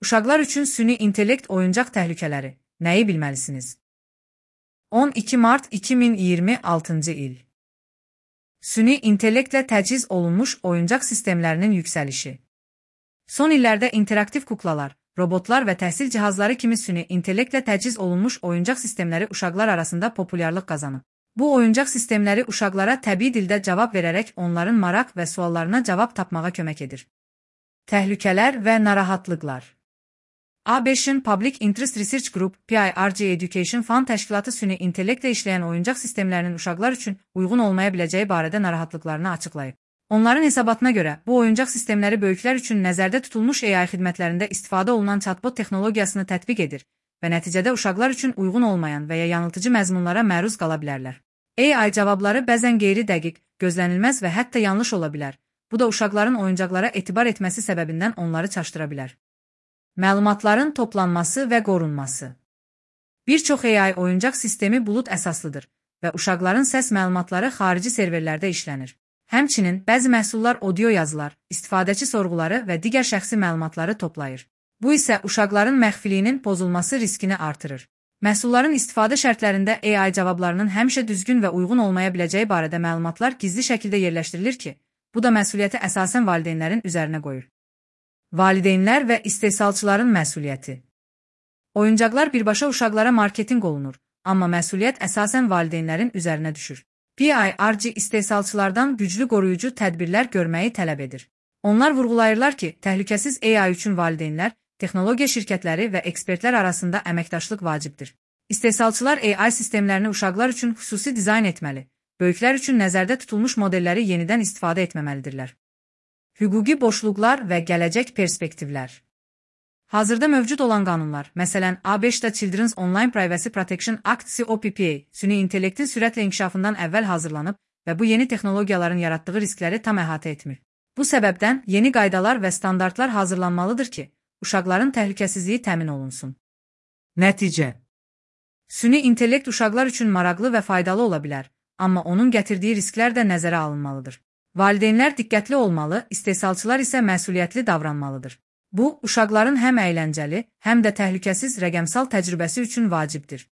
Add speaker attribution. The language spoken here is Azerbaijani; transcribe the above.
Speaker 1: Uşaqlar üçün süni intellekt oyuncaq təhlükələri. Nəyi bilməlisiniz? 12 mart 2026-cı il. Süni intellektlə təchiz olunmuş oyuncaq sistemlərinin yüksəlişi. Son illərdə interaktiv kuklalar, robotlar və təhsil cihazları kimi süni intellektlə təchiz olunmuş oyuncaq sistemləri uşaqlar arasında populyarlıq qazanıb. Bu oyuncaq sistemləri uşaqlara təbii dildə cavab verərək onların maraq və suallarına cavab tapmağa kömək edir. Təhlükələr və narahatlıqlar. A5-in Public Interest Research Group, PIRG Education Fund təşkilatı süni intellektlə işləyən oyuncaq sistemlərinin uşaqlar üçün uyğun olmaya biləcəyi barədə narahatlıqlarını açıqlayıb. Onların hesabatına görə, bu oyuncaq sistemləri böyüklər üçün nəzərdə tutulmuş AI xidmətlərində istifadə olunan chatbot texnologiyasını tətbiq edir və nəticədə uşaqlar üçün uyğun olmayan və ya yanıltıcı məzmunlara məruz qala bilərlər. AI cavabları bəzən qeyri-dəqiq, gözlənilməz və hətta yanlış ola bilər. Bu da uşaqların oyuncaqlara etibar etməsi səbəbindən onları çaşdıra bilər. Məlumatların toplanması və qorunması. Bir çox AI oyuncaq sistemi bulud əsaslıdır və uşaqların səs məlumatları xarici serverlərdə işlənir. Həmçinin, bəzi məhsullar audio yazılar, istifadəçi sorğuları və digər şəxsi məlumatları toplayır. Bu isə uşaqların məxfiliyinin pozulması riskini artırır. Məhsulların istifadə şərtlərində AI cavablarının həmişə düzgün və uyğun olmaya biləcəyi barədə məlumatlar gizli şəkildə yerləşdirilir ki, bu da məsuliyyəti əsasən valideynlərin üzərinə qoyur. Valideynlər və istehsalçıların məsuliyyəti. Oyuncaqlar birbaşa uşaqlara marketinq olunur, amma məsuliyyət əsasən valideynlərin üzərinə düşür. PIRG istehsalçılardan güclü qoruyucu tədbirlər görməyi tələb edir. Onlar vurğulayırlar ki, təhlükəsiz AI üçün valideynlər, texnologiya şirkətləri və ekspertlər arasında əməkdaşlıq vacibdir. İstehsalçılar AI sistemlərini uşaqlar üçün xüsusi dizayn etməli, böyüklər üçün nəzərdə tutulmuş modelləri yenidən istifadə etməməlidirlər. Hüquqi boşluqlar və gələcək perspektivlər. Hazırda mövcud olan qanunlar, məsələn, A5-də Children's Online Privacy Protection Act COPPA, süni intellektin sürətlə inkişafından əvvəl hazırlanıb və bu yeni texnologiyaların yaratdığı riskləri tam əhatə etmir. Bu səbəbdən yeni qaydalar və standartlar hazırlanmalıdır ki, uşaqların təhlükəsizliyi təmin olunsun. Nəticə. Süni intellekt uşaqlar üçün maraqlı və faydalı ola bilər, amma onun gətirdiyi risklər də nəzərə alınmalıdır. Valideynlər diqqətli olmalı, istehsalçılar isə məsuliyyətli davranmalıdır. Bu, uşaqların həm əyləncəli, həm də təhlükəsiz rəqəmsal təcrübəsi üçün vacibdir.